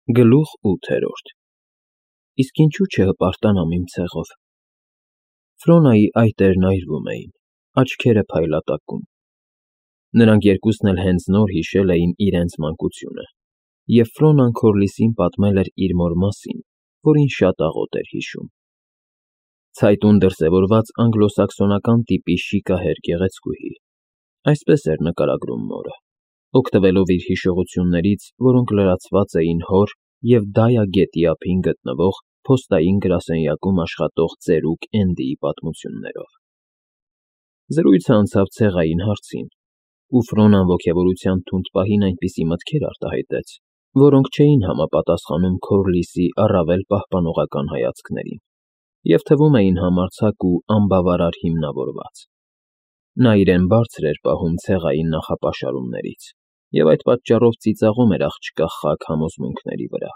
Գլուխ 8-րդ Իսկ ինչու չհպարտանամ իմ ցեղով։ Ֆրոնայի այտերն այրվում էին, աչքերը փայլատակում։ Նրանք երկուսն էլ հենց նոր հիշել էին իրենց մանկությունը, և Ֆրոնան Քորլիսին պատմել էր իր մոր մասին, որին շատ աղոտ էր հիշում։ Ցայտուն դրսևորված անգլոսաքսոնական տիպի շիկահեր գեղեցկուհի, այսպես էր նկարագրում մորը, օգտվելով իր հիշողություններից, որոնք լրացված էին հոր և Դայա գետի ափին գտնվող փոստային գրասենյակում աշխատող ծերուկ Էնդիի պատմություններով։ Զրույցը անցավ ցեղային հարցին, ու Ֆրոնան ոգևորության թունդ պահին այնպիսի մտքեր արտահայտեց, որոնք չէին համապատասխանում Քորլիսի առավել պահպանողական հայացքներին, և թվում էին համարձակ ու անբավարար հիմնավորված։ Նա իրեն բարձր էր պահում ցեղային նախապաշարումներից և այդ պատճառով ծիծաղում էր աղջկա խաք համոզմունքների վրա։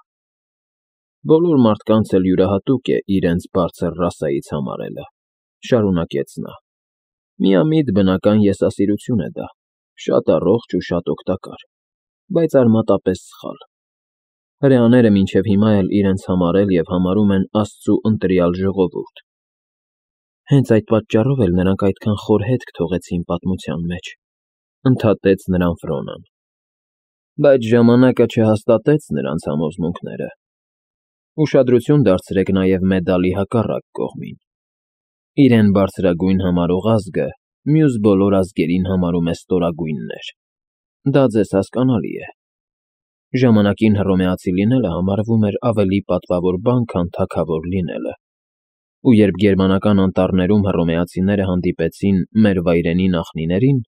Բոլոր մարդկանց էլ յուրահատուկ է իրենց բարձր ռասայից համարելը, շարունակեց նա։ Միամիտ բնական եսասիրություն է դա, շատ առողջ ու շատ օգտակար, բայց արմատապես սխալ։ Հրեաները մինչև հիմա էլ իրենց համարել և համարում են Աստծու ընտրյալ ժողովուրդ։ Հենց այդ պատճառով էլ նրանք այդքան խոր հետք թողեցին պատմության մեջ, ընդհատեց նրան Ֆրոնան։ Բայց ժամանակը չհաստատեց նրանց համոզմունքները։ Ուշադրություն դարձրեք նաև մեդալի հակառակ կողմին։ Իրեն բարձրագույն համարող ազգը մյուս բոլոր ազգերին համարում է ստորագույններ։ Դա ձեզ հասկանալի է։ Ժամանակին հռոմեացի լինելը համարվում էր ավելի պատվավոր բան, քան թագավոր լինելը։ Ու երբ գերմանական անտառներում հռոմեացիները հանդիպեցին մեր վայրենի նախնիներին,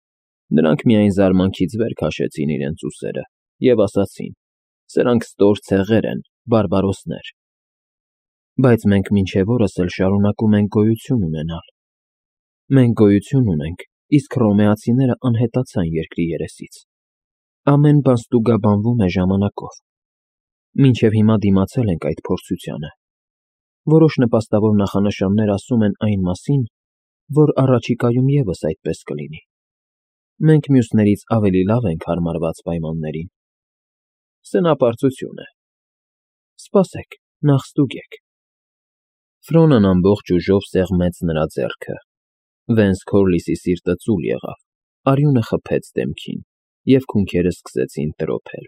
նրանք միայն զարմանքից վեր քաշեցին իրենց ուսերը և ասացին. «Սրանք ստոր ցեղեր են, բարբարոսներ»։ Բայց մենք մինչև օրս էլ շարունակում ենք գոյություն ունենալ։ Մենք գոյություն ունենք, իսկ հռոմեացիները անհետացան երկրի երեսից։ Ամեն բան ստուգաբանվում է ժամանակով։ Մինչև հիմա դիմացել ենք այդ փորձությանը։ Որոշ նպաստավոր նախանշաններ ասում են այն մասին, որ առաջիկայում ևս այդպես կլինի։ Մենք մյուսներից ավելի լավ ենք հարմարված պայմաններին։ Սնապարծություն է։ Սպասեք, նախ ստուգեք։ Ֆրոնան ամբողջ ուժով սեղմեց նրա ձեռքը։ Վենց Քորլիսի սիրտը ծուլ եղավ, արյունը խփեց դեմքին, և քունքերը սկսեցին տրոփել։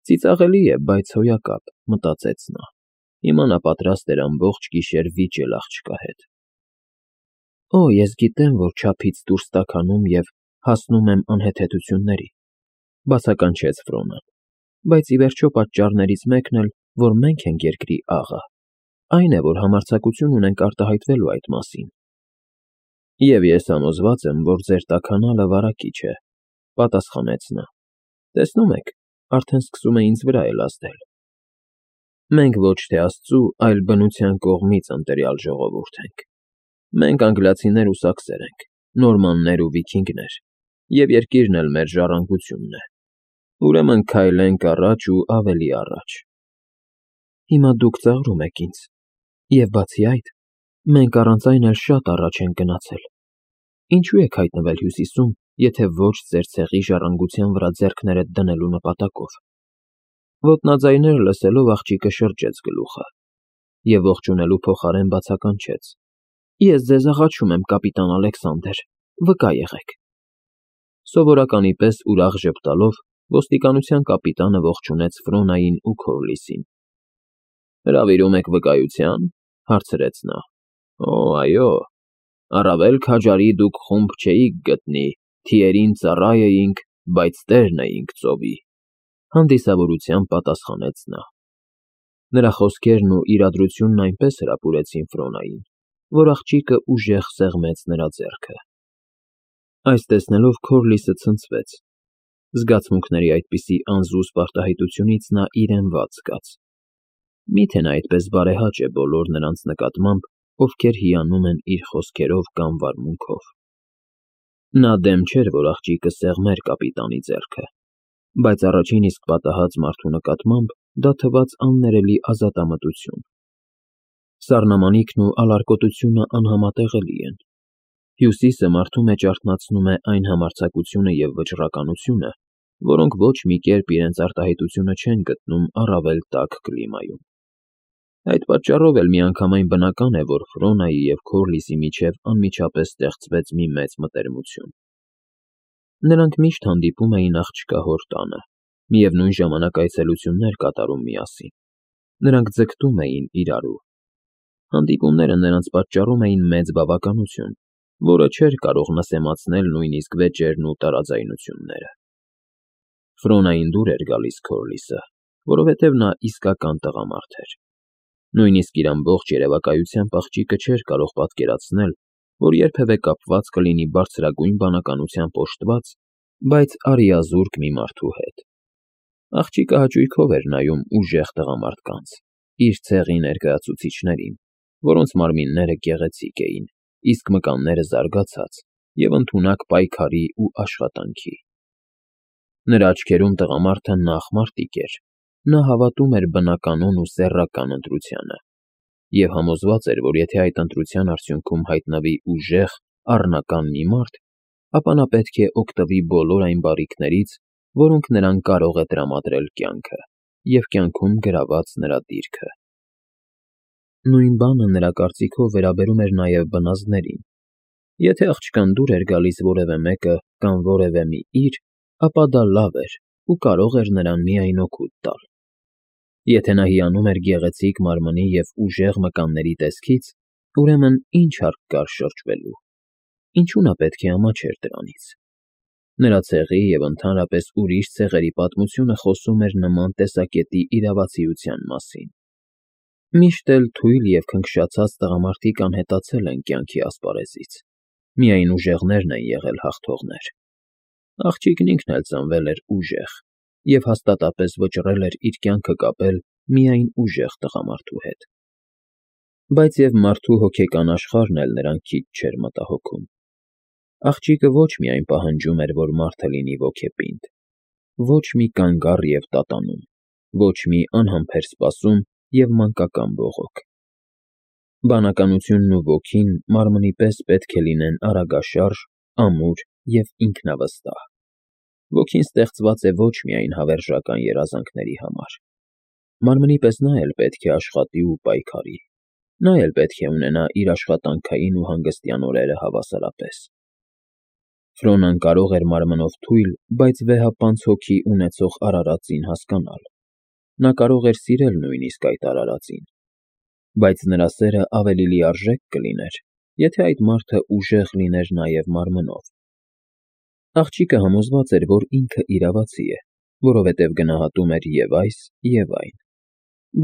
Ծիծաղելի է, բայց հոյակապ, մտածեց նա։ Հիմա նա պատրաստ էր ամբողջ գիշեր վիճել աղջկա հետ։ Օ, ես գիտեմ, որ չափից դուրս տաքանում և հասնում եմ անհեթեթությունների, բացականչեց Ֆրոնան, բայց ի վերջո պատճառներից մեկն էլ, որ մենք ենք երկրի աղը, այն է, որ համարձակություն ունենք արտահայտվելու այդ մասին։ Եվ ես համոզված եմ, որ ձեր տաքանալը վարակիչ է, պատասխանեց նա։ Տեսնում եք, արդեն սկսում է ինձ վրա էլ ազդել։ Մենք ոչ թե Աստծու, այլ բնության կողմից ընտրյալ ժողովուրդ ենք։ Մենք անգլիացիներ ու սաքսեր ենք, նորմաններ ու վիքինգներ, և երկիրն էլ մեր ժառանգությունն է։ Ուրեմն քայլենք առաջ ու ավելի առաջ։ Հիմա դուք ծաղրում եք ինձ, և բացի այդ, մենք առանց այն էլ շատ առաջ ենք գնացել։ Ինչու եք հայտնվել Հյուսիսում, եթե ոչ ձեր ցեղի ժառանգության վրա ձեռքներդ դնելու նպատակով։ Ոտնաձայները լսելով աղջիկը շրջեց գլուխը և ողջունելու փոխարեն բացականչեց. Ես ձեզ աղաչում եմ, կապիտան Ալեքսանդր, վկա եղեք։ Սովորականի պես ուրախ ժպտալով ոստիկանության կապիտանը ողջունեց Ֆրոնային ու Քորլիսին։ Հրավիրում եք վկայության, հարցրեց նա։ Օ, այո, առավել քաջարի դուք խումբ չէիք գտնի, թիերին ծառա էինք, բայց տերն էինք ծովի, հանդիսավորությամբ պատասխանեց նա։ Նրա խոսքերն ու իրադրությունն այնպես հրապուրեցին Ֆրոնային, որ աղջիկը ուժեղ սեղմեց նրա ձեռքը։ Այս տեսնելով Քորլիսը ցնցվեց։ Զգացմունքների այդպիսի անզուսպ արտահայտությունից նա իրեն վատ զգաց։ Միթե նա այդպես բարեհաճ է բոլոր նրանց նկատմամբ, ովքեր հիանում են իր խոսքերով կամ վարմունքով։ Նա դեմ չէր, որ աղջիկը սեղմեր կապիտանի ձեռքը, բայց առաջին իսկ պատահած մարդու նկատմամբ դա թվաց աններելի ազատամտություն։ Սառնամանիքն ու ալարկոտությունը անհամատեղելի են։ Հյուսիսը մարդու մեջ արթնացնում է այն համարձակությունը և վճռականությունը, որոնք ոչ մի կերպ իրենց արտահայտությունը չեն գտնում առավել տաք կլիմայում։ Այդ պատճառով էլ միանգամայն բնական է, որ Ֆրոնայի և Քորլիսի միջև անմիջապես ստեղծվեց մի մեծ մտերմություն։ Նրանք միշտ հանդիպում էին աղջկա հոր տանը, միևնույն ժամանակ այցելություններ կատարում միասին։ Նրանք ձգտում էին իրարու։ Հանդիպումները նրանց պատճառում էին մեծ բավականություն, որը չէր կարող նսեմացնել նույնիսկ վեճերն ու տարաձայնությունները։ Ֆրոնային դուր էր գալիս Քորլիսը, որովհետև նա իսկական տղամարդ էր։ Նույնիսկ իր ամբողջ երևակայությամբ աղջիկը չէր կարող պատկերացնել, որ երբևէ կապված կլինի բարձրագույն բանականությամբ օժտված, բայց արիազուրկ մի մարդու հետ։ Աղջիկը հաճույքով էր նայում ուժեղ տղամարդկանց, իր ցեղի ներկայացուցիչներին, որոնց մարմինները գեղեցիկ էին, իսկ մկանները զարգացած և ընդունակ պայքարի ու աշխատանքի։ Նրա աչքերում տղամարդը նախ մարտիկ էր, նա հավատում էր բնականon ու սեռական ընտրությանը և համոզված էր, որ եթե այդ ընտրության արդյունքում հայտնվի ուժեղ, առնական մի մարդ, ապա նա պետք է օգտվի բոլոր այն բարիքներից, որոնք նրան կարող է տրամադրել կյանքը և կյանքում գրաված նրա դիրքը։ Նույն բանը նրա կարծիքով վերաբերում էր նաև բնազդներին։ Եթե աղջկան դուր էր գալիս որևէ մեկը կամ որևէ մի իր, ապա դա լավ էր ու կարող էր նրան միայն օգուտ տալ։ Եթե նա հիանում էր գեղեցիկ մարմնի և ուժեղ մկանների տեսքից, ուրեմն ինչ հարկ կար շրջվելու։ Ինչու նա պետք է ամաչեր դրանից։ Նրա ցեղի և ընդհանրապես ուրիշ ցեղերի պատմությունը խոսում էր նման տեսակետի իրավացիության մասին։ Միշտ էլ թույլ և քնքշացած տղամարդիկ անհետացել են կյանքի ասպարեզից, միայն ուժեղներն են եղել հաղթողներ։ Աղջիկն ինքն էլ ծնվել էր ուժեղ և հաստատապես վճռել էր իր կյանքը կապել միայն ուժեղ տղամարդու հետ։ Բայց և մարդու հոգեկան աշխարհն էլ նրան քիչ չէր մտահոգում։ Աղջիկը ոչ միայն պահանջում էր, որ մարդը լինի ոգեպինդ, ոչ մի կանգառ և տատանում, ոչ մի անհամբեր սպասում և մանկական բողոք։ Բանականությունն ու ոգին մարմնի պես պետք է լինեն արագաշարժ, ամուր և ինքնավստահ։ Ոգին ստեղծված է ոչ միայն հավերժական երազանքների համար։ Մարմնի պես նա էլ պետք է աշխատի ու պայքարի։ Նա էլ պետք է ունենա իր աշխատանքային ու հանգստյան օրերը հավասարապես։ Ֆրոնան կարող էր մարմնով թույլ, բայց վեհապանծ հոգի ունեցող արարածին հասկանալ։ Նա կարող էր սիրել նույնիսկ այդ արարածին։ Բայց նրա սերը ավելի լիարժեք կլիներ, եթե այդ մարդը ուժեղ լիներ նաև մարմնով։ Աղջիկը համոզված էր, որ ինքը իրավացի է, որովհետև գնահատում էր և այս, և այն։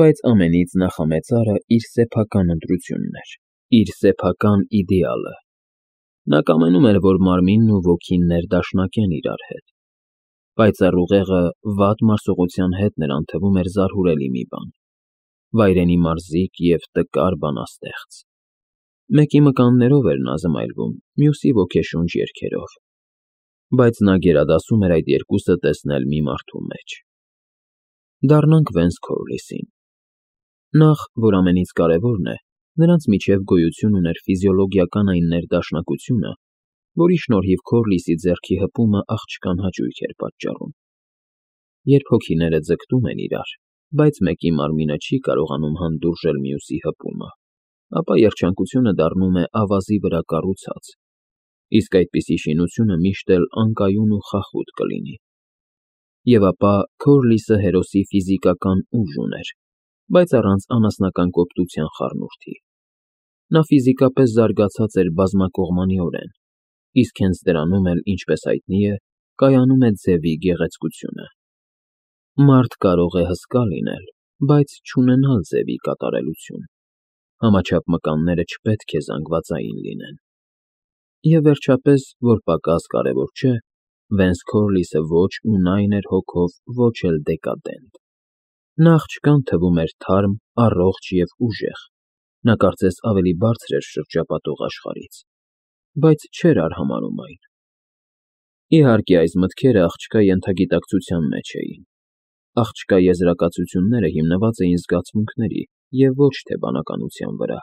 Բայց ամենից նախամեծարը իր սեփական ընտրությունն էր, իր սեփական իդեալը։ Նա կամենում էր, որ մարմինն ու ոգին ներդաշնակեն իրար հետ։ Պայծառ ուղեղը վատ մարսողության հետ նրան թվում էր զարհուրելի մի բան, վայրենի մարզիկ և տկար բանաստեղծ։ Մեկի մկաններով էր նա զմայլվում, մյուսի ոգեշունչ երգերով։ Բայց նա գերադասում էր այդ երկուսը տեսնել մի մարդու մեջ։ Դառնանք Վենս Քորլիսին։ Նախ, որ ամենից կարևորն է, նրանց միջև գոյություն ուներ ֆիզիոլոգիական այն ներդաշնակությունը, որի շնորհիվ Քորլիսի ձեռքի հպումը աղջկան հաճույք էր պատճառում։ Երբ հոգիները ձգտում են իրար, բայց մեկի մարմինը չի կարողանում հանդուրժել մյուսի հպումը, ապա երջանկությունը դառնում է ավազի վրա կառուցած, իսկ այդպիսի շինությունը միշտ էլ անկայուն ու խախուտ կլինի։ Եվ ապա Քորլիսը հերոսի ֆիզիկական ուժ ուներ, բայց առանց անասնական կոպտության խառնուրդի։ Նա ֆիզիկապես զարգացած էր բազմակողմանիորեն, իսկ հենց դրանում էլ, ինչպես հայտնի է, կայանում է ձևի գեղեցկությունը։ Մարդ կարող է հսկա լինել, բայց չունենալ ձևի կատարելություն։ Համաչափ մկանները չպետք է զանգվածային լինեն։ Եվ վերջապես, որ պակաս կարևոր չէ, Վենս Քորլիսը ոչ ունայն էր հոգով, ոչ էլ դեկադենտ։ Նա աղջկան թվում էր թարմ, առողջ և ուժեղ։ Նա կարծես ավելի բարձր էր շրջապատող աշխարհից, բայց չէր արհամարհում այն։ Իհարկե, այս մտքերը աղջկա ենթագիտակցության մեջ էին։ Աղջկա եզրակացությունները հիմնված էին զգացմունքների և ոչ թե բանականության վրա։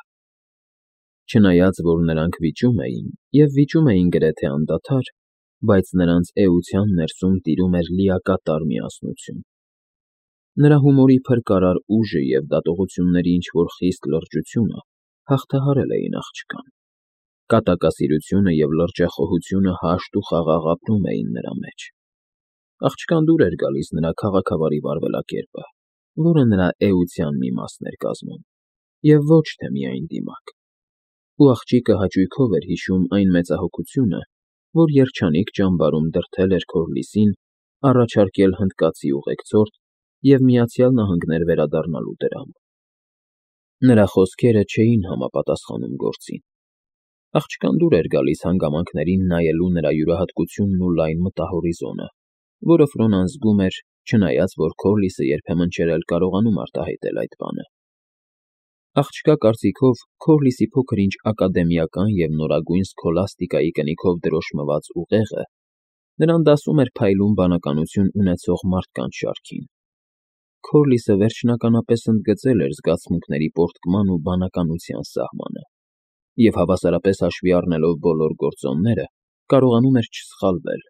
Չնայած, որ նրանք վիճում էին, և վիճում էին գրեթե անդադար, բայց նրանց էության ներսում տիրում էր լիակատար միասնություն։ Նրա հումորի փրկարար ուժը և դատողությունների ինչ-որ խիստ լրջությունը հաղթահարել էին աղջկան։ Կատակասիրությունը և լրջախոհությունը հաշտ ու խաղաղ ապրում էին նրա մեջ։ Աղջկան դուր էր գալիս նրա քաղաքավարի վարվելակերպը, որը նրա էության մի մասն էր կազմում, և ոչ թե միայն դիմակ։ Ու աղջիկը հաճույքով էր հիշում այն մեծահոգությունը, որ երջանիկ ճամբարում դրդել էր Քորլիսին առաջարկել հնդկացի ուղեկցորդ և Միացյալ Նահանգներ վերադառնալու դրամ։ Նրա խոսքերը չէին համապատասխանում գործին։ Աղջկան դուր էր գալիս հանգամանքներին նայելու նրա յուրահատկությունն ու լայն մտահորիզոնը, որը Ֆրոնան զգում էր, չնայած որ Քորլիսը երբեմն չէր էլ կարողանում արտահայտել այդ բանը։ Աղջկա կարծիքով Քորլիսի փոքր-ինչ ակադեմիական և նորագույն սքոլաստիկայի կնիքով դրոշմված ուղեղը նրան դասում էր փայլուն բանականություն ունեցող մարդկանց շարքին։ Քորլիսը վերջնականապես ընդգծել էր զգացմունքների պոռթկման ու բանականության սահմանը, և հավասարապես հաշվի առնելով բոլոր գործոնները, կարողանում էր չսխալվել,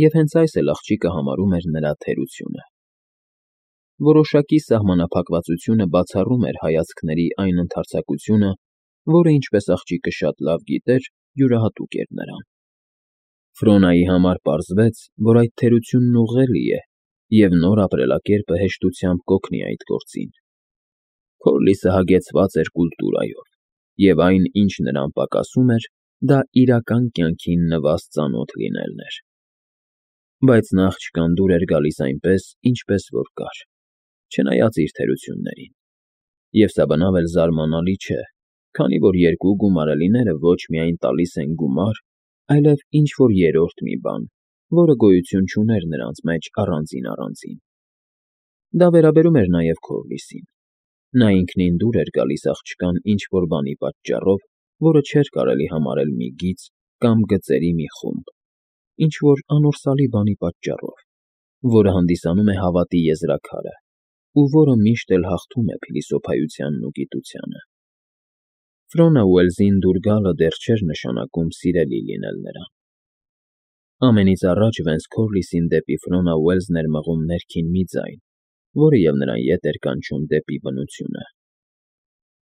և հենց այս էլ աղջիկը համարում էր նրա թերությունը։ Որոշակի սահմանափակվածությունը բացառում էր հայացքների այն ընդարձակությունը, որը, ինչպես աղջիկը շատ լավ գիտեր, յուրահատուկ էր նրան։ Ֆրոնայի համար պարզվեց, որ այդ թերությունն ուղղելի է, և նոր ապրելակերպը հեշտությամբ կօգնի այդ գործին։ Քորլիսը հագեցված էր կուլտուրայով, և այն, ինչ նրան պակասում էր, դա իրական կյանքին նվազ ծանոթ լինելն էր։ Բայց նա աղջկան դուր էր գալիս այնպես, ինչպես որ կար, չնայած իր թերություններին։ Եվ սա բնավ էլ զարմանալի չէ, քանի որ երկու գումարելիները ոչ միայն տալիս են գումար, այլև ինչ֊որ երրորդ մի բան, որը գոյություն չուներ նրանց մեջ առանձին։ Դա վերաբերում էր նաև Քորլիսին։ Նա ինքնին դուր էր գալիս աղջկան ինչ-որ բանի պատճառով, որը չէր կարելի համարել մի գիծ կամ գծերի մի խումբ, ինչ-որ անորսալի բանի պատճառով, որը հանդիսանում է հավատի եզրաքարը, ու որը միշտ էլ հաղթում է փիլիսոփայությանն ու գիտությանը։ Ֆրոնա Ուելզին դուր գալը դեռ չէր նշանակում սիրելի լինել նրան։ Ամենից առաջ Վենս Քորլիսին դեպի Ֆրոնա Ուելզն էր մղում ներքին մի ձայն, որը և նրան ետ էր կանչում դեպի բնությունը։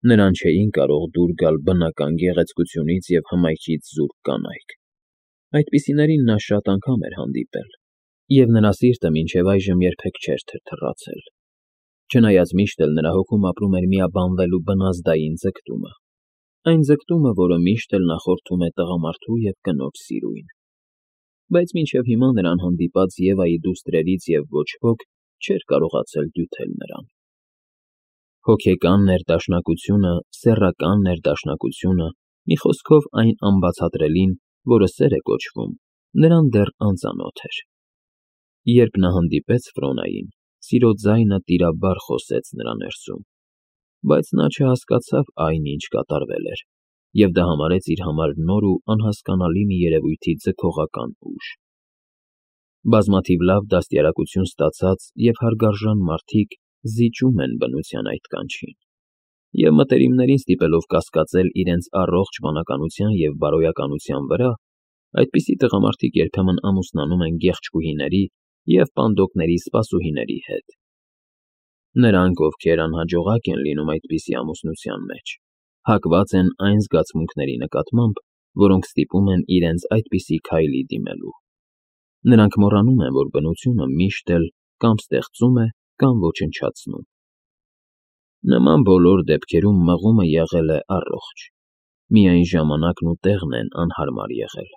Նրան չէին կարող դուր գալ բնական գեղեցկությունից և հմայքից զուրկ կանայք։ Այդպիսիներին նա շատ անգամ էր հանդիպել, և նրա սիրտը մինչև այժմ երբեք չէր թրթռացել, չնայած միշտ էլ նրա հոգում ապրում էր միաբանվելու բնազդային ձգտումը, այն ձգտումը, որը միշտ էլ նախորդում է տղամարդու և կնոջ սիրույն։ Բայց մինչև հիմա նրան հանդիպած Եվայի դուստրերից և ոչ ոք չէր կարողացել դյութել նրան։ Հոգեկան ներդաշնակությունը, սեռական ներդաշնակությունը, մի խոսքով այն անբացատրելին, որը սեր է կոչվում, նրան դեռ անծանոթ էր։ Երբ նա հանդիպեց Ֆրոնային, սիրո ձայնը տիրաբար խոսեց նրա ներսում, բայց նա չհասկացավ այն, ինչ կատարվել էր, և դա համարեց իր համար նոր ու անհասկանալի մի երևույթի ձգողական ուժ։ Բազմաթիվ լավ դաստիարակություն ստացած և հարգարժան մարդիկ զիջում են բնության այդ կանչին, և մտերիմներին ստիպելով կասկածել իրենց առողջ բանականության և բարոյականության վրա, այդպիսի տղամարդիկ երբեմն ամուսնանում են գեղեցկուհիների և պանդոկների սպասուհիների հետ։ Նրանք, ովքեր անհաջողակ են լինում այդպիսի ամուսնության մեջ, հակված են այն զգացմունքների նկատմամբ, որոնք ստիպում են իրենց այդպիսի քայլի դիմելու։ Նրանք մոռանում են, որ բնությունը միշտ էլ կամ ստեղծում է, կամ ոչնչացնում։ Նման բոլոր դեպքերում մղումը եղել է առողջ, միայն ժամանակն ու տեղն են անհարմար եղել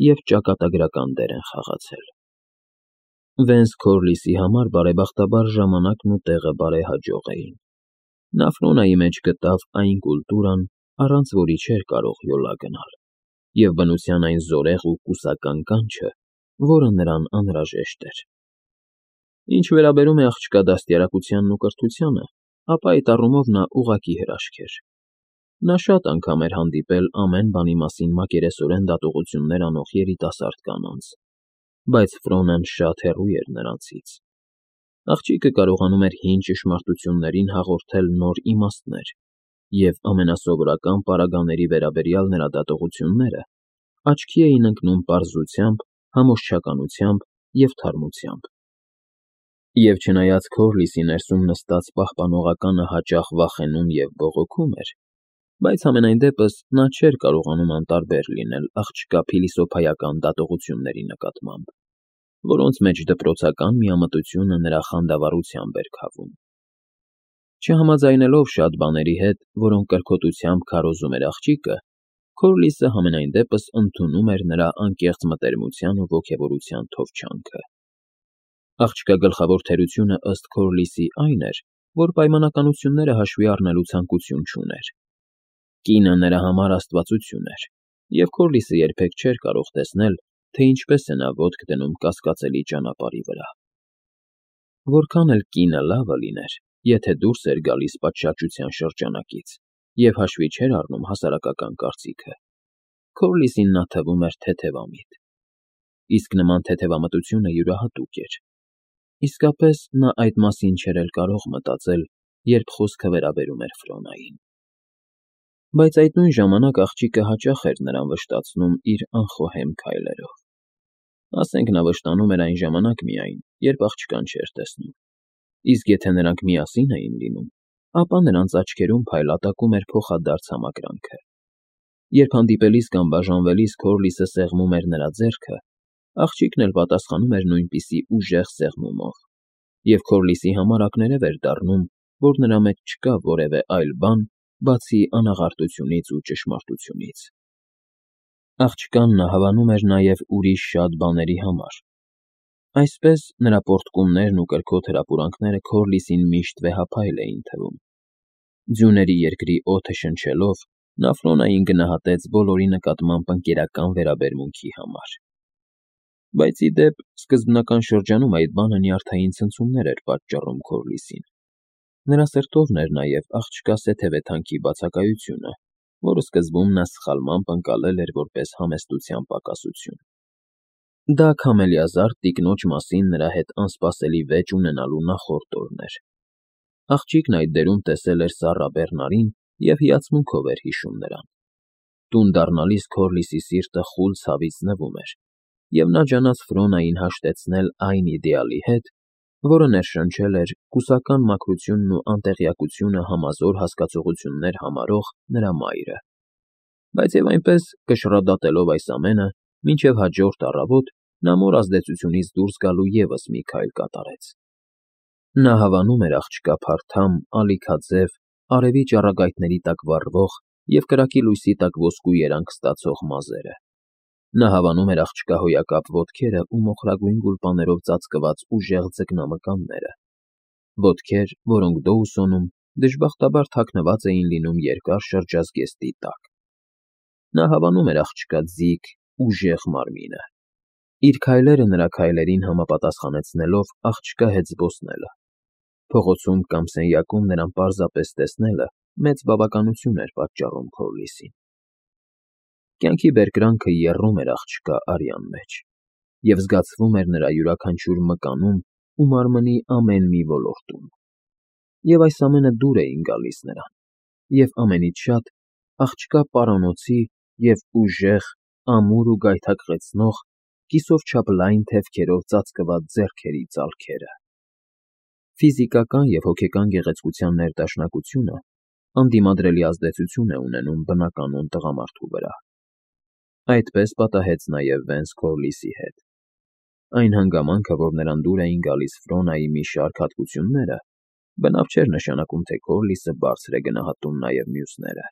և ճակատագրական դեր են խաղացել։ Վենս Քորլիսի համար բարեբախտաբար ժամանակն ու տեղը բարեհաջող էին։ Նա Ֆրոնայի մեջ գտավ այն կուլտուրան, առանց որի չէր կարող յոլա գնալ, և բնության այն զորեղ ու կուսական կանչը, որը նրան անհրաժեշտ էր։ Ինչ վերաբերում է աղջկա դաստիարակությանն ու կրթությանը, ապա այդ առումով նա ուղղակի հրաշք էր։ Նա շատ անգամ էր հանդիպել ամեն բանի մասին մակերեսորեն դատողություններ անող երիտասարդ կանանց, բայց Ֆրոնան շատ հեռու էր նրանցից։ Աղջիկը կարողանում էր հին ճշմարտություններին հաղորդել նոր իմաստներ, և ամենասովորական պարագաների վերաբերյալ նրա դատողությունները աչքի էին ընկնում պարզությամբ համոզչականությամբ և թարմությամբ։ Եվ չնայած Քորլիսի ներսում նստած պահպանողականը հաճախ վախենում և բողոքում էր, բայց համենայն դեպս նա չէր կարողանում անտարբեր լինել աղջկա փիլիսոփայական դատողությունների նկատմամբ, որոնց մեջ դպրոցական միամտությունը նրա խանդավառությամբ էր քավում։ Չհամաձայնելով շատ բաների հետ, որոնք կրքոտությամբ քարոզում էր աղջիկը, Քորլիսը համենայն դեպս ընդունում էր նրա անկեղծ մտերմության ու ոգևորության թովչանքը։ Աղջկա գլխավոր թերությունը ըստ Քորլիսի այն էր, որ պայմանականությունները հաշվի առնելու ցանկություն չուներ։ Կինը նրա համար աստվածություն էր, և Քորլիսը երբեք չէր կարող տեսնել, թե ինչպես է նա ոտք դնում կասկածելի ճանապարհի վրա։ Որքան էլ կինը լավը լիներ, եթե դուրս էր գալիս պատշաճության շրջանակից և հաշվի չէր առնում հասարակական կարծիքը, Քորլիսին նա թվում էր թեթևամիտ։ Իսկ նման թեթևամտությունը յուրահատուկ էր։ Իսկապես նա այդ մասին չէր էլ կարող մտածել, երբ խոսքը վերաբերում էր Ֆրոնային։ Բայց այդ նույն ժամանակ աղջիկը հաճախ էր նրան վշտացնում իր անխոհեմ քայլերով։ Ասենք նա վշտանում էր այն ժամանակ միայն, երբ աղջկան չէր տեսնում։ Իսկ եթե նրանք միասին էին լինում, ապա նրանց աչքերում փայլատակում էր փոխադարձ համակրանքը։ Երբ հանդիպելիս կամ բաժանվելիս Քորլիսը սեղմում էր նրա ձեռքը, աղջիկն էլ պատասխանում էր նույնպիսի ուժեղ սեղմումով, և Քորլիսի համար ակներև էր դառնում, որ նրա մեջ չկա որևէ այլ բան, բացի անաղարտությունից ու ճշմարտությունից։ Աղջկան նա հավանում էր նաև ուրիշ շատ բաների համար։ Այսպես նրա պոռթկումներն ու կրքոտ հրապուրանքները Քորլիսին միշտ վեհափայլ էին թվում։ Ձյուների երկրի օդը շնչելով՝ նա Ֆրոնային գնահատեց բոլորի նկատմամբ ընկերական վերաբերմունքի համար։ Բայց ի դեպ, սկզբնական շրջանում այդ բանը նյարդային ցնցումներ էր պատճառում Քորլիսին։ Նրա սրտովն էր նաև աղջկա սեթևեթանքի բացակայությունը, որը սկզբում նա սխալմամբ ընկալել էր որպես համեստության պակասություն։ Դա քամելիազարդ տիկնոջ մասին նրա հետ անսպասելի վեճ ունենալու նախորդ օրն էր։ Աղջիկն այդ դերում տեսել էր Սառա Բեռնարին և հիացմունքով էր հիշում նրան։ Տուն դառնալիս Քորլիսի սիրտը խուլ ցավից նվում էր, և նա ջանաց Ֆրոնային հաշտեցնել այն իդեալի հետ, որը ներշնչել էր կուսական մաքրությունն ու անտեղյակությունը համազոր հասկացություններ համարող նրա մայրը։ Բայց և այնպես, կշռադատելով այս ամենը, մինչև հաջորդ առավոտ նա մոր ազդեցությունից դուրս գալու ևս մի քայլ կատարեց։ Նա հավանում էր աղջկա փարթամ, ալիքաձև, արևի ճառագայթների տակ վառվող և կրակի լույսի տակ ոսկու երանգ ստացող մազերը։ Նա հավանում էր աղջկա հոյակապ ոտքերը ու մոխրագույն գուլպաներով ծածկված ուժեղ ձկնամկանները, ոտքեր, որոնք Դոուսոնում դժբախտաբար թաքնված էին լինում երկար շրջազգեստի տակ։ Նա հավանում էր աղջկա ձիգ, ուժեղ մարմինը։ Իր քայլերը նրա քայլերին համապատասխանեցնելով աղջկա հետ զբոսնելը, փողոցում կամ սենյակում նրան պարզապես տեսնելը մեծ բավականություն էր պատճառում Քորլիսին։ Կյանքի բերկրանքը եռում էր աղջկա արյան մեջ, և զգացվում էր նրա յուրաքանչյուր մկանում ու մարմնի ամեն մի ոլորտում։ Եվ այս ամենը դուր էին գալիս նրան, և ամենից շատ աղջկա պարանոցի և ուժեղ, ամուր ու գայթակղեցնող, կիսով չափ լայն թևքերով ծածկված ձեռքերի ծալքերը։ Ֆիզիկական և հոգեկան գեղեցկության ներդաշնակությունը անդիմադրելի ազդեցություն է ունենում բնականոն տղամարդու վրա։ Այդպես պատահեց նաև Վենս Քորլիսի հետ։ Այն հանգամանքը, որ նրան դուր էին գալիս Ֆրոնայի մի շարք հատկությունները, բնավ չէր նշանակում, թե Քորլիսը բարձր է գնահատում նաև մյուսները։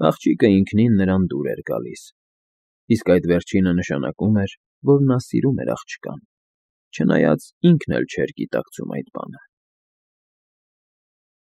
Աղջիկը ինքնին նրան դուր էր գալիս, իսկ այդ վերջինը նշանակում էր, որ նա սիրում էր աղջկան, չնայած ինքն էլ չէր գիտակցում այդ բանը։